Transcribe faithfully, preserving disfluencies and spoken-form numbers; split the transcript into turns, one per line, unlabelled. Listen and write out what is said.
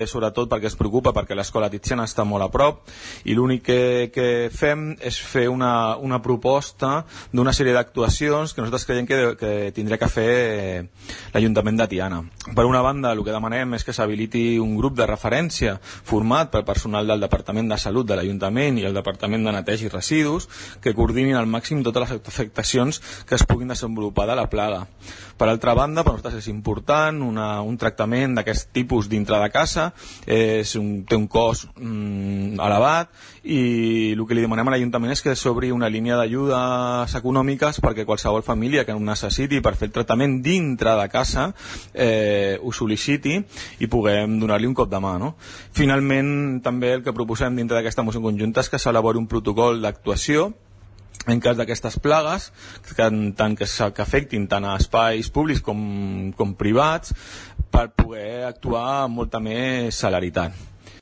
sobretot perquè es preocupa perquè l'escola Tiziana està molt a prop i l'únic que, que fem és fer una, una proposta d'una sèrie d'actuacions que nosaltres creiem que, que tindria que fer l'Ajuntament de Tiana. Per una banda, el que demanem és que s'habiliti un grup de referència format pel personal del Departament de Salut de l'Ajuntament i el Departament de Neteja i Residus que coordinin al màxim totes les afectacions que es puguin desenvolupar de la plaga. Per altra banda, per nosaltres és important una, un tractament d'aquest tipus dintre de casa. És un, té un cost mm, elevat i el que li demanem a l'Ajuntament és que s'obri una línia d'ajudes econòmiques perquè qualsevol família que ho necessiti per fer el tractament dintre de casa eh, ho sol·liciti i puguem donar-li un cop de mà, no? Finalment, també el que proposem dintre d'aquesta moció conjunta és que s'elabori un protocol d'actuació en cas d'aquestes plagues, que, tant que, que afectin tant a espais públics com, com privats, per poder actuar amb molta més celeritat.